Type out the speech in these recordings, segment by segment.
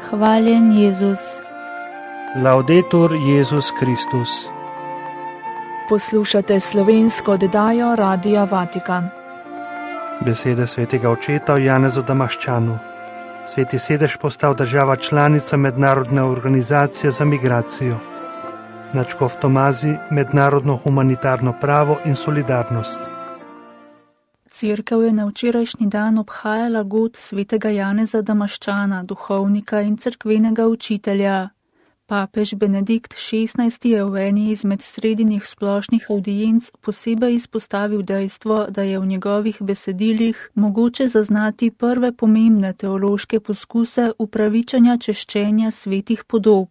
Hvaljen Jezus. Laudetur Jezus Kristus. Poslušate slovensko oddajo Radia Vatikan. Besede svetega očeta o Janezu Damaščanu. Sveti sedež postal država članica Mednarodne organizacije za migracijo. Nadškof Tomazi, mednarodno humanitarno pravo in solidarnost. Cerkev je na včerajšnji dan obhajala god svetega Janeza Damaščana, duhovnika in cerkvenega učitelja. Papež Benedikt XVI je v eni izmed sredinih splošnih avdienc posebej izpostavil dejstvo, da je v njegovih besedilih mogoče zaznati prve pomembne teološke poskuse upravičanja češčenja svetih podob.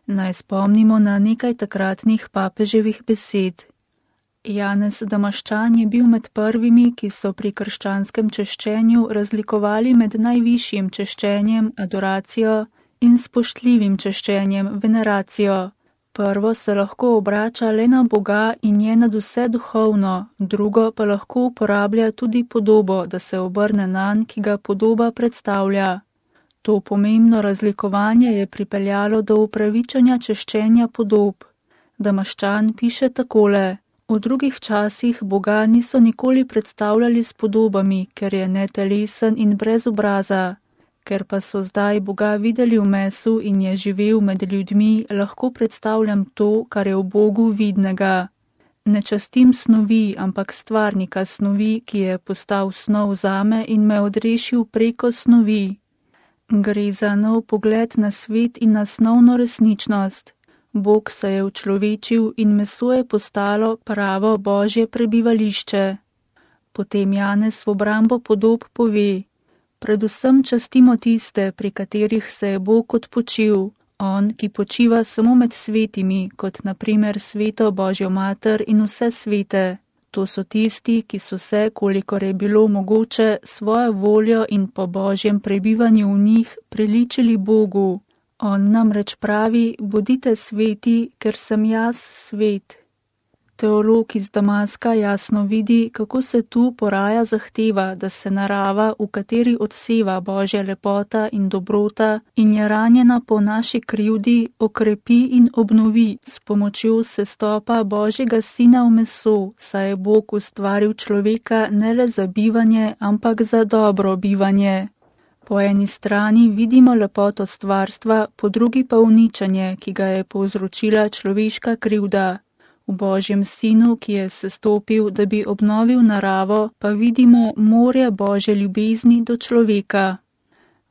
Naj spomnimo na nekaj takratnih papeževih besed. Janez Damaščan je bil med prvimi, ki so pri krščanskem češčenju razlikovali med najvišjim češčenjem, adoracijo, in spoštljivim češčenjem, veneracijo. Prvo se lahko obrača le na Boga in je nadvse duhovno, drugo pa lahko uporablja tudi podobo, da se obrne nanj, ki ga podoba predstavlja. To pomembno razlikovanje je pripeljalo do upravičanja češčenja podob. Damaščan piše takole: v drugih časih Boga niso nikoli predstavljali s podobami, ker je netelesen in brez obraza. Ker pa so zdaj Boga videli v mesu in je živel med ljudmi, lahko predstavljam to, kar je v Bogu vidnega. Ne častim snovi, ampak stvarnika snovi, ki je postal snov zame in me odrešil preko snovi. Gre za nov pogled na svet in na snovno resničnost. Bog se je učlovečil in meso je postalo pravo Božje prebivališče. Potem Janez v obrambo podob pove: predvsem častimo tiste, pri katerih se je Bog odpočil, on, ki počiva samo med svetimi, kot na primer sveto Božjo mater in vse svete. To so tisti, ki so se, kolikor je bilo mogoče, svojo voljo in po Božjem prebivanju v njih priličili Bogu. On namreč pravi: bodite sveti, ker sem jaz svet. Teolog iz Damaska jasno vidi, kako se tu poraja zahteva, da se narava, v kateri odseva Božja lepota in dobrota in je ranjena po naši krivdi, okrepi in obnovi s pomočjo sestopa Božjega Sina v meso, saj je Bog ustvaril človeka ne le za bivanje, ampak za dobro bivanje. Po eni strani vidimo lepoto stvarstva, po drugi pa uničenje, ki ga je povzročila človeška krivda. V Božjem Sinu, ki je sestopil, da bi obnovil naravo, pa vidimo morje Božje ljubezni do človeka.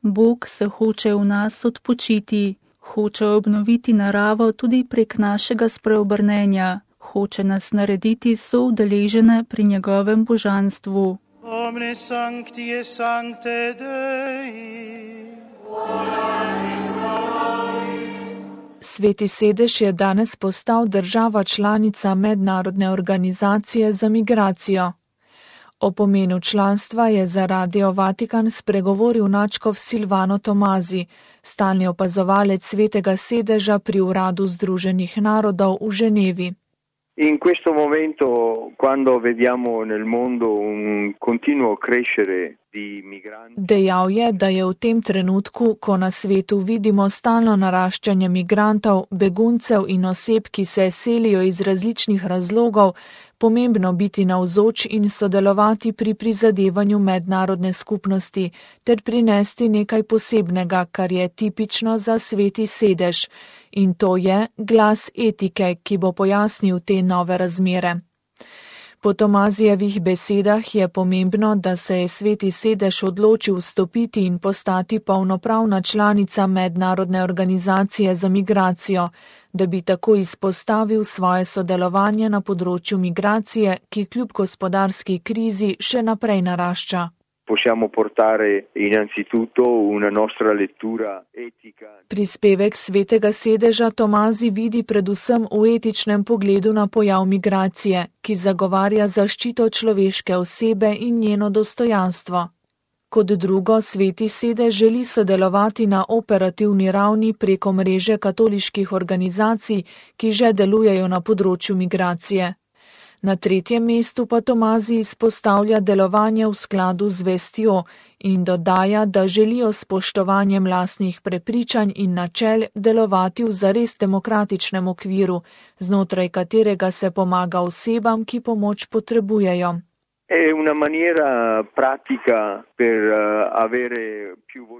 Bog se hoče v nas odpočiti, hoče obnoviti naravo tudi prek našega spreobrnenja, hoče nas narediti soudeležene pri njegovem božanstvu. Omne sancti et sancte Dei. Sveti sedež je danes postal država članica Mednarodne organizacije za migracijo. O pomenu članstva je za Radio Vatikan spregovoril nadškof Silvano Tomazi, stalni opazovalec svetega sedeža pri Uradu Združenih narodov v Ženevi. In questo momento, quando vediamo nel mondo un continuo crescere di migranti. Dejal je, da je v tem trenutku, ko na svetu vidimo stalno naraščanje migrantov, beguncev in oseb, ki se selijo iz različnih razlogov, pomembno biti navzoč in sodelovati pri prizadevanju mednarodne skupnosti ter prinesti nekaj posebnega, kar je tipično za sveti sedež. In to je glas etike, ki bo pojasnil te nove razmere. Po Tomazijevih besedah je pomembno, da se je sveti sedež odločil vstopiti in postati polnopravna članica Mednarodne organizacije za migracijo, da bi tako izpostavil svoje sodelovanje na področju migracije, ki kljub gospodarski krizi še naprej narašča. Possiamo portare innanzitutto una nostra lettura etica. Prispevek svetega sedeža Tomazi vidi predvsem v etičnem pogledu na pojav migracije, ki zagovarja zaščito človeške osebe in njeno dostojanstvo. Kot drugo, sveti sedež želi sodelovati na operativni ravni preko mreže katoliških organizacij, ki že delujejo na področju migracije. Na tretjem mestu pa Tomazij izpostavlja delovanje v skladu z vestjo in dodaja, da želijo s spoštovanjem lastnih prepričanj in načel delovati v zares demokratičnem okviru, znotraj katerega se pomaga osebam, ki pomoč potrebujejo.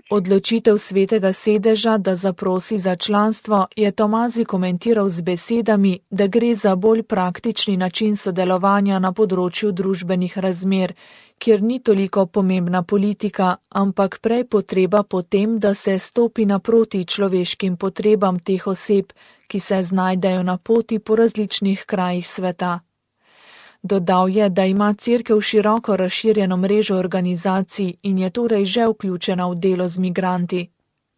Odločitev Svetega sedeža, da zaprosi za članstvo, je Tomazij komentiral z besedami, da gre za bolj praktični način sodelovanja na področju družbenih razmer, kjer ni toliko pomembna politika, ampak prej potreba po tem, da se stopi naproti človeškim potrebam teh oseb, ki se znajdejo na poti po različnih krajih sveta. Dodal je, da ima Cerkev široko razširjeno mrežo organizacij in je torej že vključena v delo z migranti.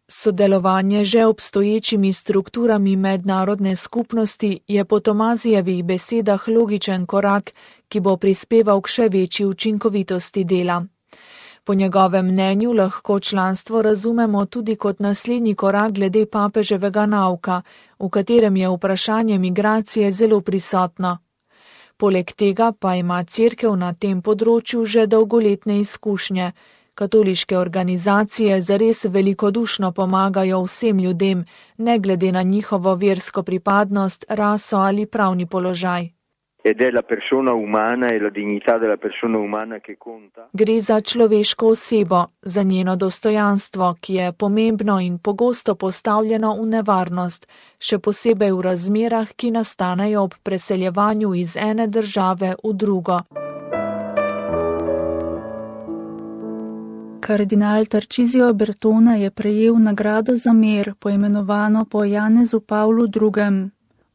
Sodelovanje že obstoječimi strukturami mednarodne skupnosti je po Tomazijevih besedah logičen korak, ki bo prispeval k še večji učinkovitosti dela. Po njegovem mnenju lahko članstvo razumemo tudi kot naslednji korak glede papeževega nauka, v katerem je vprašanje migracije zelo prisotno. Poleg tega pa ima Cerkev na tem področju že dolgoletne izkušnje. Katoliške organizacije zares velikodušno pomagajo vsem ljudem, ne glede na njihovo versko pripadnost, raso ali pravni položaj. Gre za človeško osebo, za njeno dostojanstvo, ki je pomembno in pogosto postavljeno v nevarnost, še posebej v razmerah, ki nastanejo ob preseljevanju iz ene države v drugo. Kardinal Tarcisio Bertone je prejel nagrado za mir, poimenovano po Janezu Pavlu II.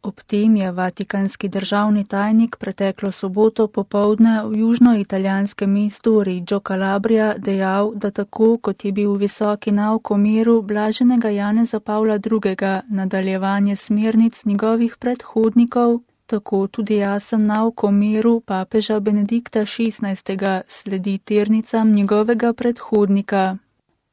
Ob tem je vatikanski državni tajnik preteklo soboto popoldne v južnoitalijanskem mestu Reggio Calabria dejal, da tako kot je bil visoki nauk o miru blaženega Janeza Pavla II. Nadaljevanje smernic njegovih predhodnikov, tako tudi jasen nauk o miru papeža Benedikta XVI. Sledi tirnicam njegovega predhodnika.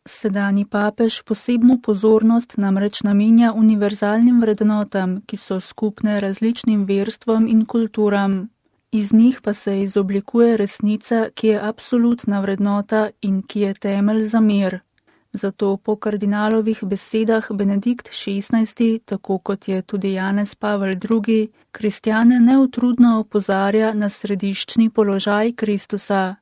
Sedanji papež posebno pozornost namreč namenja univerzalnim vrednotam, ki so skupne različnim verstvom in kulturam. Iz njih pa se izoblikuje resnica, ki je absolutna vrednota in ki je temelj za mir. Zato po kardinalovih besedah Benedikt XVI, tako kot je tudi Janez Pavel II, kristjane neutrudno opozarja na središčni položaj Kristusa.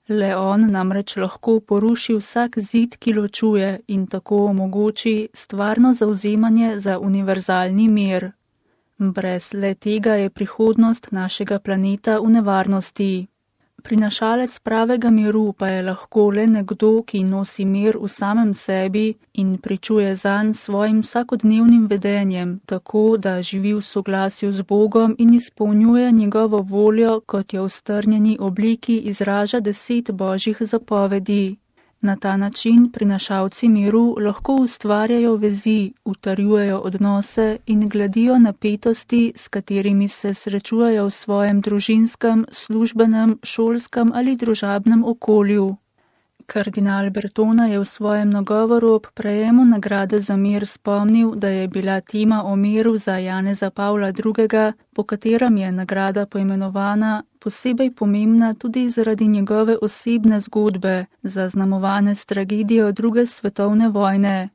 Le on namreč lahko poruši vsak zid, ki ločuje in tako omogoči stvarno zavzemanje za univerzalni mir. Brez le tega je prihodnost našega planeta v nevarnosti. Prinašalec pravega miru pa je lahko le nekdo, ki nosi mir v samem sebi in pričuje zanj svojim vsakodnevnim vedenjem, tako da živi v soglasju z Bogom in izpolnjuje njegovo voljo, kot jo v strnjeni obliki izraža 10 božjih zapovedi. Na ta način prinašalci miru lahko ustvarjajo vezi, utrjujejo odnose in gladijo napetosti, s katerimi se srečujejo v svojem družinskem, službenem, šolskem ali družabnem okolju. Kardinal Bertone je v svojem nagovoru ob prejemu nagrade za mir spomnil, da je bila tema o miru za Janeza Pavla II., po katerem je nagrada poimenovana, posebej pomembna tudi zaradi njegove osebne zgodbe, zaznamovane s tragedijo II. Svetovne vojne.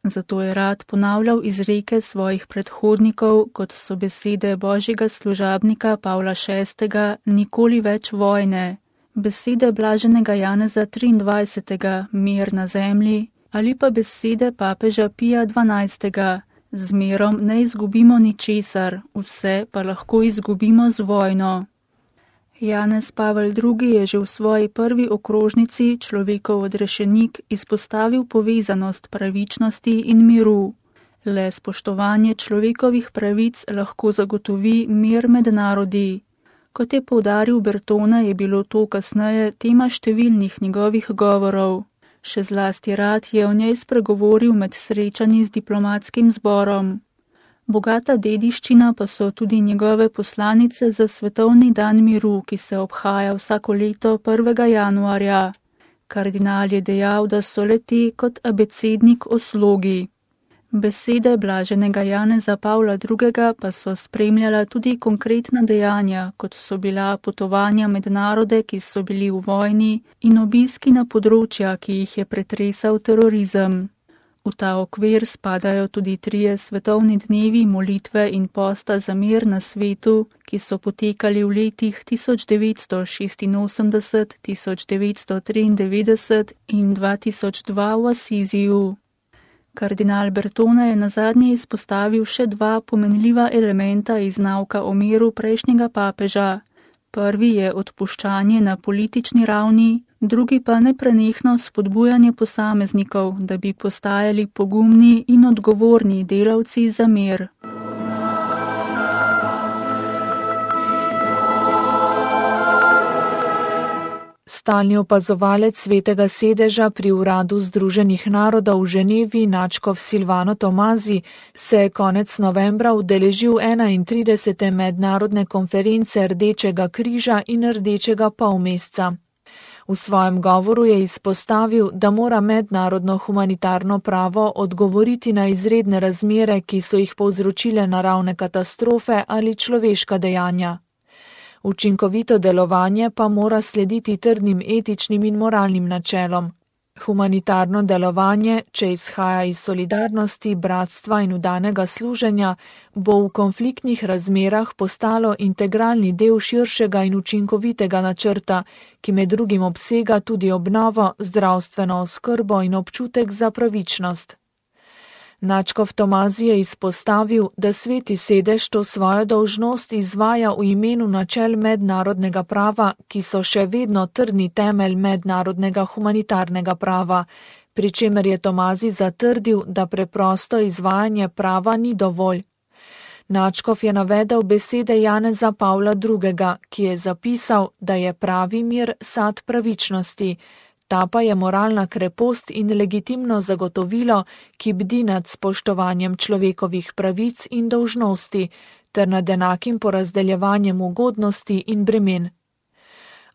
Zato je rad ponavljal izreke svojih predhodnikov, kot so besede božjega služabnika Pavla VI. Nikoli več vojne. Besede blaženega Janeza 23. Mir na zemlji ali pa besede papeža Pija XII. Z mirom ne izgubimo ničesar, vse pa lahko izgubimo z vojno. Janez Pavel II. Je že v svoji prvi okrožnici Človekov odrešenik izpostavil povezanost pravičnosti in miru. Le spoštovanje človekovih pravic lahko zagotovi mir med narodi. Kot je poudaril Bertone, je bilo to kasneje tema številnih njegovih govorov. Še zlasti rad je o njej spregovoril med srečanji z diplomatskim zborom. Bogata dediščina pa so tudi njegove poslanice za Svetovni dan miru, ki se obhaja vsako leto 1. januarja. Kardinal je dejal, da so le-te kot abecednik o slogi. Besede blaženega Janeza Pavla II. Pa so spremljala tudi konkretna dejanja, kot so bila potovanja med narode, ki so bili v vojni, in obiski na področja, ki jih je pretresal terorizem. V ta okvir spadajo tudi 3 svetovni dnevi molitve in posta za mir na svetu, ki so potekali v letih 1986, 1993 in 2002 v Asiziju. Kardinal Bertone je nazadnje izpostavil še 2 pomenljiva elementa iz nauka o miru prejšnjega papeža. Prvi je odpuščanje na politični ravni, drugi pa neprenehno spodbujanje posameznikov, da bi postajali pogumni in odgovorni delavci za mir. Stalni opazovalec Svetega sedeža pri Uradu Združenih narodov v Ženevi, nadškof Silvano Tomazi, se je konec novembra udeležil 31. mednarodne konference Rdečega križa in Rdečega polmeseca. V svojem govoru je izpostavil, da mora mednarodno humanitarno pravo odgovoriti na izredne razmere, ki so jih povzročile naravne katastrofe ali človeška dejanja. Učinkovito delovanje pa mora slediti trdnim etičnim in moralnim načelom. Humanitarno delovanje, če izhaja iz solidarnosti, bratstva in vdanega služenja, bo v konfliktnih razmerah postalo integralni del širšega in učinkovitega načrta, ki med drugim obsega tudi obnovo, zdravstveno oskrbo in občutek za pravičnost. Nadškof Tomazi je izpostavil, da Sveti sedež to svojo dolžnost izvaja v imenu načel mednarodnega prava, ki so še vedno trdni temelj mednarodnega humanitarnega prava, pri čemer je Tomazi zatrdil, da preprosto izvajanje prava ni dovolj. Nadškof je navedel besede Janeza Pavla II., ki je zapisal, da je pravi mir sad pravičnosti. Ta pa je moralna krepost in legitimno zagotovilo, ki bdi nad spoštovanjem človekovih pravic in dolžnosti, ter nad enakim porazdeljevanjem ugodnosti in bremen.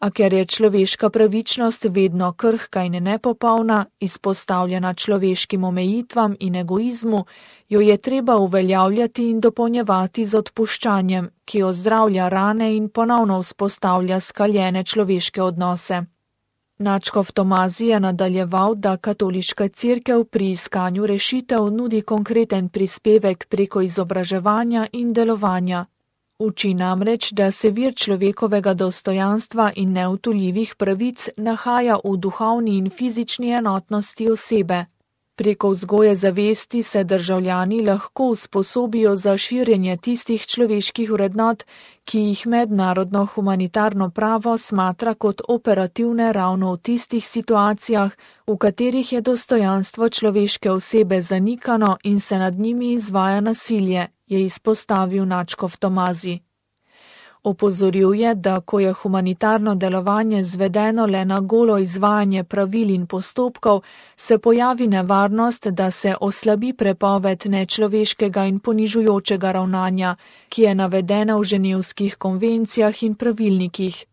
A ker je človeška pravičnost vedno krhka in nepopolna, izpostavljena človeškim omejitvam in egoizmu, jo je treba uveljavljati in dopolnjevati z odpuščanjem, ki ozdravlja rane in ponovno vzpostavlja skaljene človeške odnose. Nadškof Tomazi je nadaljeval, da katoliška cerkev pri iskanju rešitev nudi konkreten prispevek preko izobraževanja in delovanja. Uči namreč, da se vir človekovega dostojanstva in neodtujljivih pravic nahaja v duhovni in fizični enotnosti osebe. Preko vzgoje zavesti se državljani lahko usposobijo za širjenje tistih človeških vrednot, ki jih mednarodno humanitarno pravo smatra kot operativne ravno v tistih situacijah, v katerih je dostojanstvo človeške osebe zanikano in se nad njimi izvaja nasilje, je izpostavil nadškof Tomazi. Opozoril je, da ko je humanitarno delovanje zvedeno le na golo izvajanje pravil in postopkov, se pojavi nevarnost, da se oslabi prepoved nečloveškega in ponižujočega ravnanja, ki je navedena v ženevskih konvencijah in pravilnikih.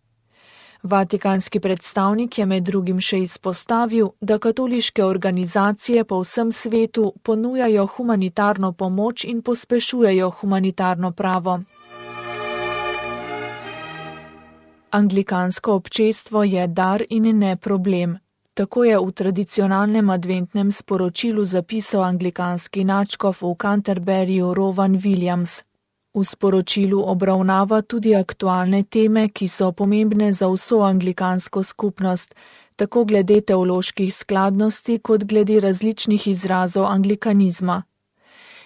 Vatikanski predstavnik je med drugim še izpostavil, da katoliške organizacije po vsem svetu ponujajo humanitarno pomoč in pospešujejo humanitarno pravo. Anglikansko občestvo je dar in ne problem. Tako je v tradicionalnem adventnem sporočilu zapisal anglikanski nadškof v Canterburyju Rowan Williams. V sporočilu obravnava tudi aktualne teme, ki so pomembne za vso anglikansko skupnost, tako glede teoloških skladnosti kot glede različnih izrazov anglikanizma.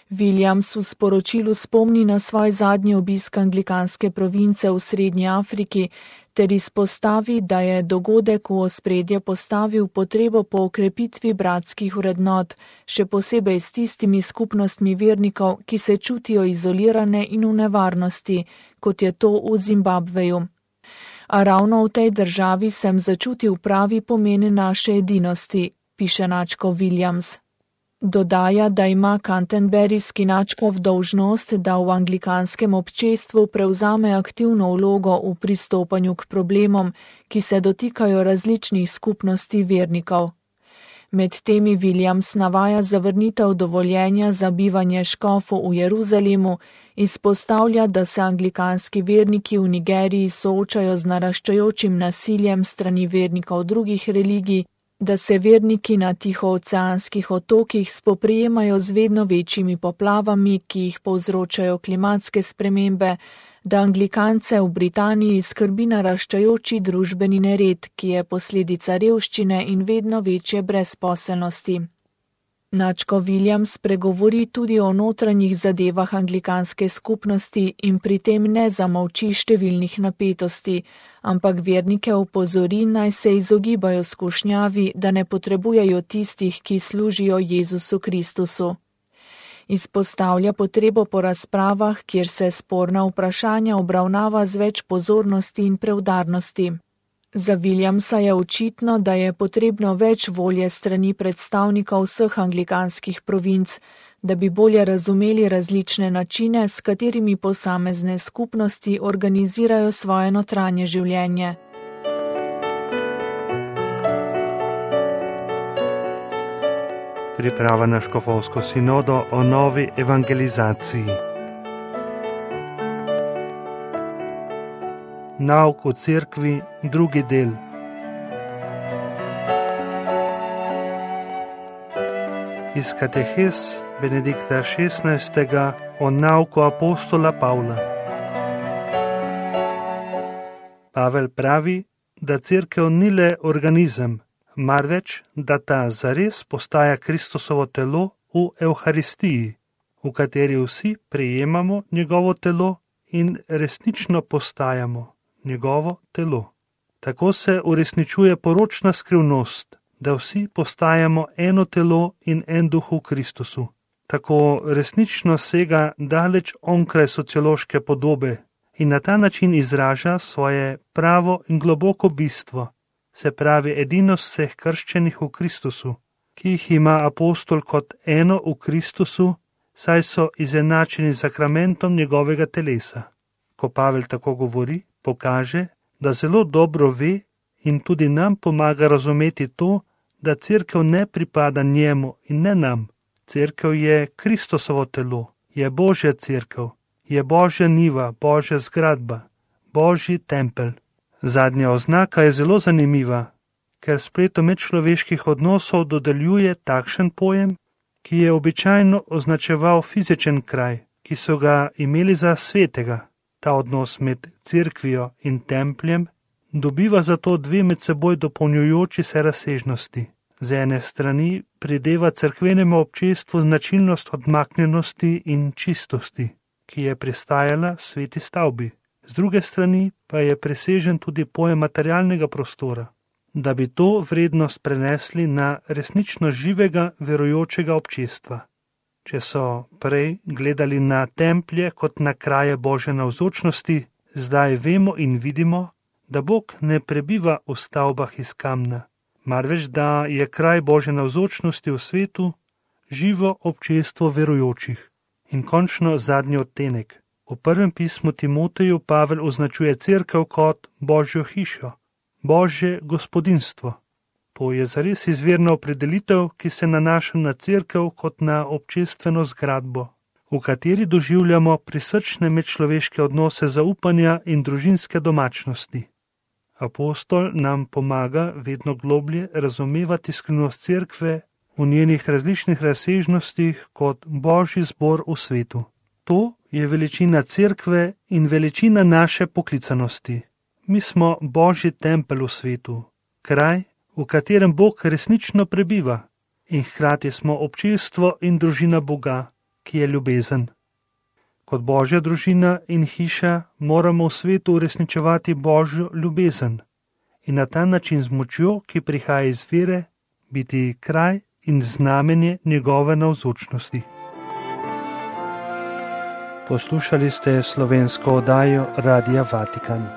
Williams v sporočilu spomni na svoj zadnji obisk anglikanske province v Srednji Afriki ter izpostavi, da je dogodek v ospredje postavil potrebo po okrepitvi bratskih vrednot, še posebej s tistimi skupnostmi vernikov, ki se čutijo izolirane in v nevarnosti, kot je to v Zimbabveju. A ravno v tej državi sem začutil pravi pomen naše edinosti, piše nadškof Williams. Dodaja, da ima canterburyski nadškof dolžnost, da v anglikanskem občestvu prevzame aktivno vlogo v pristopanju k problemom, ki se dotikajo različnih skupnosti vernikov. Med temi Williams navaja zavrnitev dovoljenja za bivanje škofov v Jeruzalemu, izpostavlja, da se anglikanski verniki v Nigeriji soočajo z naraščajočim nasiljem strani vernikov drugih religij, da se verniki na tihooceanskih otokih spoprijemajo z vedno večjimi poplavami, ki jih povzročajo klimatske spremembe, da anglikance v Britaniji skrbi naraščajoči družbeni nered, ki je posledica revščine in vedno večje brezposelnosti. Načko Williams pregovori tudi o notranjih zadevah anglikanske skupnosti in pri tem ne zamolči številnih napetosti, ampak vernike opozori, naj se izogibajo skušnjavi, da ne potrebujejo tistih, ki služijo Jezusu Kristusu. Izpostavlja potrebo po razpravah, kjer se sporna vprašanja obravnava z več pozornosti in preudarnosti. Za Williamsa je očitno, da je potrebno več volje strani predstavnikov vseh anglikanskih provinc, da bi bolje razumeli različne načine, s katerimi posamezne skupnosti organizirajo svoje notranje življenje. Priprava na škofovsko sinodo o novi evangelizaciji. Nauk v cerkvi, drugi del. Iz katehes Benedikta XVI. O nauku apostola Pavla. Pavel pravi, da cerkev ni le organizem, marveč, da ta zares postaja Kristusovo telo v Evharistiji, v kateri vsi prejemamo njegovo telo in resnično postajamo njegovo telo. Tako se uresničuje poročna skrivnost, da vsi postajamo eno telo in en duh v Kristusu. Tako resnično sega daleč onkraj sociološke podobe in na ta način izraža svoje pravo in globoko bistvo, se pravi edinost vseh krščenih v Kristusu, ki jih ima apostol kot eno v Kristusu, saj so izenačeni z sakramentom njegovega telesa. Ko Pavel tako govori, pokaže, da zelo dobro ve in tudi nam pomaga razumeti to, da cerkev ne pripada njemu in ne nam. Cerkev je Kristusovo telo, je Božja cerkev, je Božja njiva, Božja zgradba, Božji tempelj. Zadnja oznaka je zelo zanimiva, ker spletom medčloveških odnosov dodeljuje takšen pojem, ki je običajno označeval fizičen kraj, ki so ga imeli za svetega. Ta odnos med cerkvijo in templjem dobiva zato dve med seboj dopolnjujoči se razsežnosti. Z ene strani prideva cerkvenemu občestvu značilnost odmaknjenosti in čistosti, ki je pristajala sveti stavbi. Z druge strani pa je presežen tudi pojem materialnega prostora, da bi to vrednost prenesli na resnično živega verujočega občestva. Če so prej gledali na templje kot na kraje Božje navzočnosti, zdaj vemo in vidimo, da Bog ne prebiva v stavbah iz kamna, marveč da je kraj Božje navzočnosti v svetu živo občestvo verujočih. In končno zadnji odtenek. V prvem pismu Timoteju Pavel označuje cerkev kot Božjo hišo, Božje gospodinstvo. To je zares izvirna opredelitev, ki se nanaša na cerkev kot na občestveno zgradbo, v kateri doživljamo prisrčne medčloveške odnose zaupanja in družinske domačnosti. Apostol nam pomaga vedno globlje razumevati skrivnost cerkve v njenih različnih razsežnostih kot Božji zbor v svetu. To je veličina cerkve in veličina naše poklicanosti. Mi smo Božji tempelj v svetu, kraj, v katerem Bog resnično prebiva, in hkrati smo občestvo in družina Boga, ki je ljubezen. Kot Božja družina in hiša moramo v svetu uresničevati Božjo ljubezen in na ta način z močjo, ki prihaja iz vere, biti kraj in znamenje njegove navzočnosti. Poslušali ste slovensko oddajo Radia Vatikan.